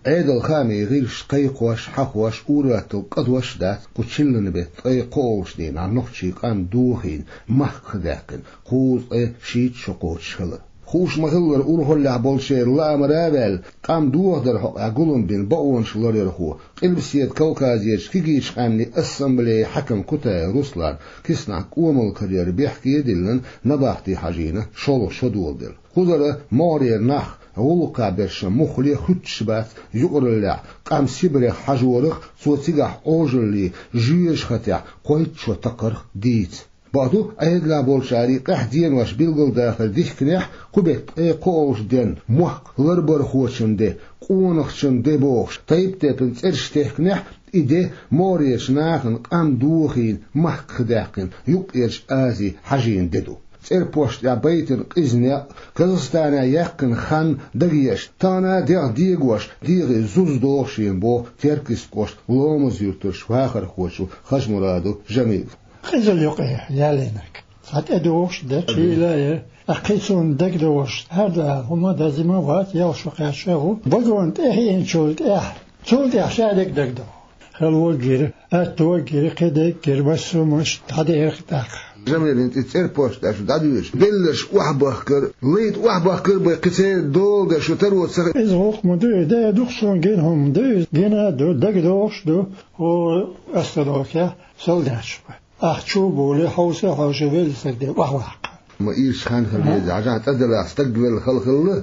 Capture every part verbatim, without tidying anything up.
Ӏедал хаамийн гӀирсаша кхайкхош, хьахош, ур-аттал кӀадош а дац, кху чиллан бетта ткъе кхоалгӀачу дийнахь нохчийн къам дохийна, махках даьккхина, кхузткъе шийтта шо кхочуш хилар. Хууш ма-хиллара, урхаллехь болчеран лаамара а ваьлла, къам дохадаран хьокъехь гулам бина бакъонаш ларъярхо, Къилбаседа Кавказерчу кегийчу къаьмнийн ассамблеин хьаькам Кутаев Руслан, Киснахь кӀомал карара бехке а диллина, набахте хьажийна, шолгӀа шо доладелла. Кхузара могӀарера нах гӀуллакхехь берш муххале а хуьттуш бац, юкъараллехь, къам Сибрех хьажорах, цо цигахь Ӏожаллин жоьжахатехь кхойтта шо такхарх дийца. Бакъду, Ӏедалехь болчарий къаьхьа денош билгалдахар дихкинехь, кху беттан ткъе кхоалгӀачу денна мохк ларбархочун де, къонахчун де бохуш, тайп-тайпана цӀераш техкинехь, и де могӀарерчу нахана къам дохийна, махках даьккхина, Юккъерчу Азе хьажийна де ду. ЦӀерпошта тӀехь байтина къиза некъ, Казахстанехь яьккхина хан дагадеш, тахана а дегӀ дегош, дегӀе зуза догӀу шена, боху Теркйист кӀоштан Ломаз-Юьртарчу вахархочо Хажмурадов Жамила. Къизалла юкъе ялийнарг. Цхьа тӀедогӀуш а дара, шийла а яра. Ткъа кхин цунна дагадогӀуш, хӀара хӀума дазима а вац, ялх шо кхаьчча а ву. Вагон тӀе хиъначул тӀаьхьа, цул тӀаьхьа ша дерг дагадогӀу. Хала ваггира, атта ваггира, кхин дерг гира, массо а муш дӀадеара тӀаккха. Жамилин тӀе цӀерпошта тӀехь шу дӀадоьдуш, белларш охьабахкар, лайта охьабахкар бен кхин церан дола деш шу таро ца хи-. Иза гӀуллакх ма ду, и де дукха суна гина хӀума ду, иза гина а ду, дагадогӀуш а ду, хӀора остановкехь солдаташ бу. Ахча а бовлий, хьовса а хьовсий, велосипед де охьаваккха. Ма ирча хан хила веза, хьажахь тӀадаллахь стаг велла хала хилла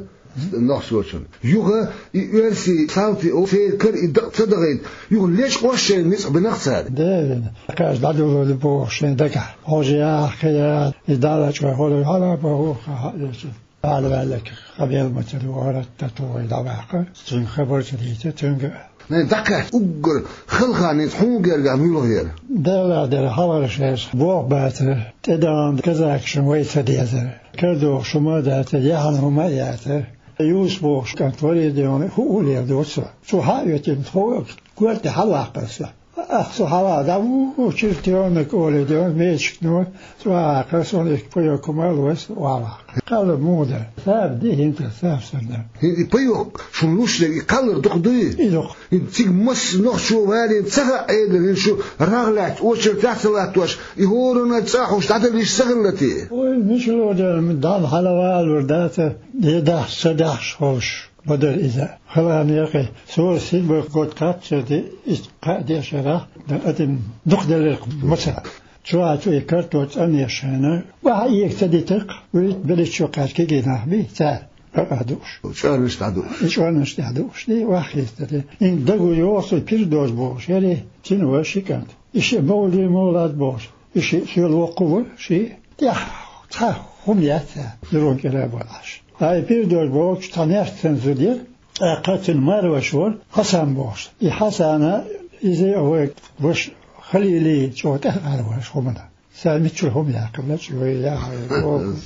нохчочун. Юха и оьрсийн салти о церан кара и дакъа ца дахийта, юха лечкъош шайн ницкъ бинарх цара. Девина. Кхаж дӀадуллур ду бохуш шайн дагахь. Хьожа яхьа, кхин яхьа, и Далла чӀогӀа хьо хьала боху, ха-, ха-, Ала ваьлларг къамел ма ца догӀура, тӀе тухий дӀаваккха, цуьнга хабар ца дийца, цуьнга. Найн дӀакхаьчча уггар хала хан хӀинца хьуна гергахь муьлха яра? Делла дера хьалхара шайша боху бацара, тӀедогӀу казакашна вай ца дезара. Кара догӀуш хӀума а дацара, яхьана хӀума а яцара. Юсуп бохуш кӀант вара и, дегӀана хӀуъа лер доцу. Цо хьа а оьттина, тхо а корта тӀе хьалаваккхара со. Ах, со хьалха дӀаву, чертёнок олий, дегӀана мечикно, цӀа ваккха, суна и паёк хӀума а лой, со охьаваккха. Кхалла муха дара? Саба ди хӀинца, саба санна. ХӀинца и паёк шуна луш дерг, и кхаллар дукха дуй? И дукха. ХӀинца цига масса нохчо валийна ца хаьа Ӏедалан, хӀинца шу рагӀ лаьцна, очередехь ца латтош, и хӀоранна цӀа хьуш дӀадала йиш ца хилла те? Ой, мича ло дара, дӀа хьалавалалур дац, е дахьаш, ца дахьаш ховш. Ма дара иза. Хала хан яра кхин. Со сибар гӀод кхаччалц де, иштта кхаа дешарахь, дан адам дукхаделира мацара. Чохь цу и карто цӀанъеш хьена, охьа эга ца дитарх, вуьйта беллачу кхаьча кегий нах бий, цара бакъахь дууш. ЧӀорнаш дӀадууш. И чӀорнаш тӀехь дууш, ди, охьа хестаде. Ин дагу йоху со пирдож бохуш, яри, цина вара ши кӀант. И шиъ мовлий мовлад бохуш. И шиъ соьла воккху вара, шиъ тӀехь цхьа хӀума яц, зурун кӀира а бара Ӏаш. Ай, пирдож бохучу цхьа нерча санна зуда яра, тӀаккха цуьнан марваш вара, Хьасан бохуш. И Хьасана, иза а вай ваша Халилий чӀогӀа тӀаьхьа ара ваша хӀумана. Цара миччура хӀума яьккхина, чӀогӀа яхьа, и копас.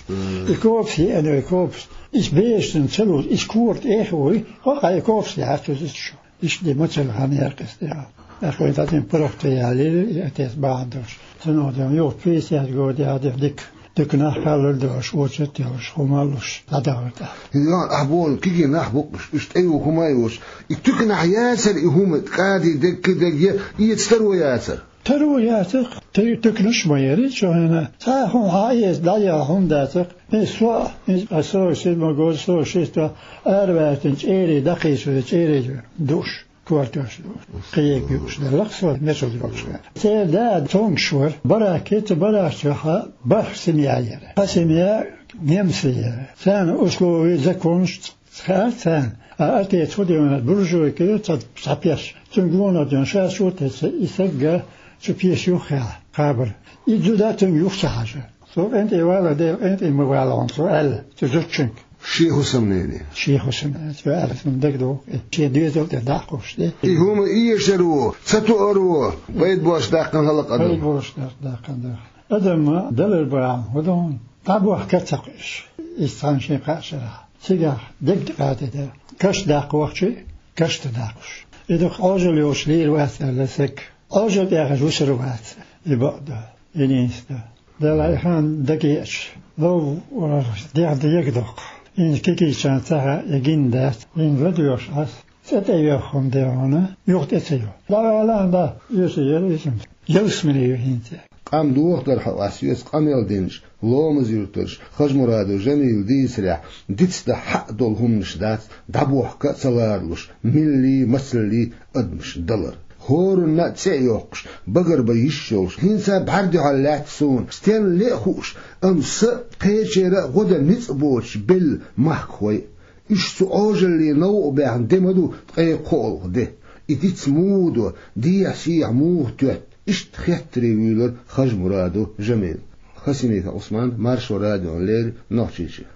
И копас еана, и копас. Иза бешан ца луш, иза кора тӀехь а вуй, хӀокху и копас яьхьа иза чу. Иштта де мацалла хан яьккхина тӀехь. ТӀаккха вайн цхьа цӀен паргӀат ялийра, и отец бахьана долуш. Цунах ден юха пятьдесят год яхь дика, дика нах кхаллар долуш, очередь йолуш, хӀума а луш, дӀадахара тӀаккха. Йо, ахь боху, кегий нах бу-кх уьш, уьш тӀе ю хӀума а йоцуш. И туьканахь яцара и хӀума, кхади дегги дегге, эца таро яцара? Таро яцара-кх, ту-, туьканаш а ма яра, чу хьена. Цхьа а хӀума хьан эца дӀаяла хӀума дацара-кх. Иза со, иза, а со, сиз ма гоза, со, шиста араваьртина чӀерий дӀакхийсура, чӀерий дууш. Кортош ду. Кхин юуш делла-кх со, мешалла йолуш вара. Церан да цомгуш вара. Барак, кхин цу баракчохь бархӀ семья яра. Цхьа семья немций яра. Царна условий, законаш ц-, ц-, хаьара царна. А отец хӀун дина, буржуйка ю цхьа, цхьа пеш. Цуьнга гонах дина, ша чу а тесна, и сагга цу пешо юххехь кхабар. И зуда цуьнга юха ца хьажа. Со къинтӀе вала, Дела къинтӀе ма вала хьуна, цо аьлла цу зудчуьнга. Шен хӀусамнене. Шен хӀусамнене. Цо аьлла, суна дагадогӀу, шен доьзал тӀе дӀа а кхуссуш, де. И хӀума эшаро, ца тоаро, пайда боцуш даьккхина хӀаллакъ адам. Пайда боцуш даьккхина, даьккхина, да. Адам далар бахьана хӀун ду хьуна? ДӀабохка ца кхуьуш. Иза цхьана шен кхаа шарахь. Цигахь дерг тӀекхаьчна дара. Каш даккха вахчий, каш тӀе даккхуш. И дукха Ӏожалла йолуш лийр вац аьлла саг. Ӏожалла тӀехь вусур вац и бакъ ду. И нийса ду. Дала и хан дагеача, лов, дегӀ дега доккху. ХӀинца кегийчарна ца хаьа, я гина дац. ХӀинца ладоьгӀуш Ӏа со. цӀа тӀе йоьхху хӀума де хьуна, юха тӀе ца йо. ДӀавала а да, юьсу яра иза. Ялсмале ю хӀинца. Къам дохадар хьо ас веца къамел динчу Ломаз-Юьртарчу Хажмурадов Жамилан дийцарехь, дицдан хьаъ долу хӀуманаш дац дӀабохка а ца ларалуш, милли, мацалли адамаш далар. ХӀоранна а цӀе а йоккхуш, багарбан йиш йолуш, хӀинца бӀаьрдуьхьал лаьтта суна, стенна ле а хууш, амма са а, кхечеран а гӀо дан ницкъ боцуш белла махкахой а. Уьш цу Ӏожаллин новкъа баьхна де ма ду ткъе кхоалгӀа де. И диц муха до, дехьа-сехьа муха тоьтту, иштта хеттаре вуьйлура Хажмурадов Жамил. Хасимиков Ӏусман, Маршо радиона леррина, Нохчийчоь.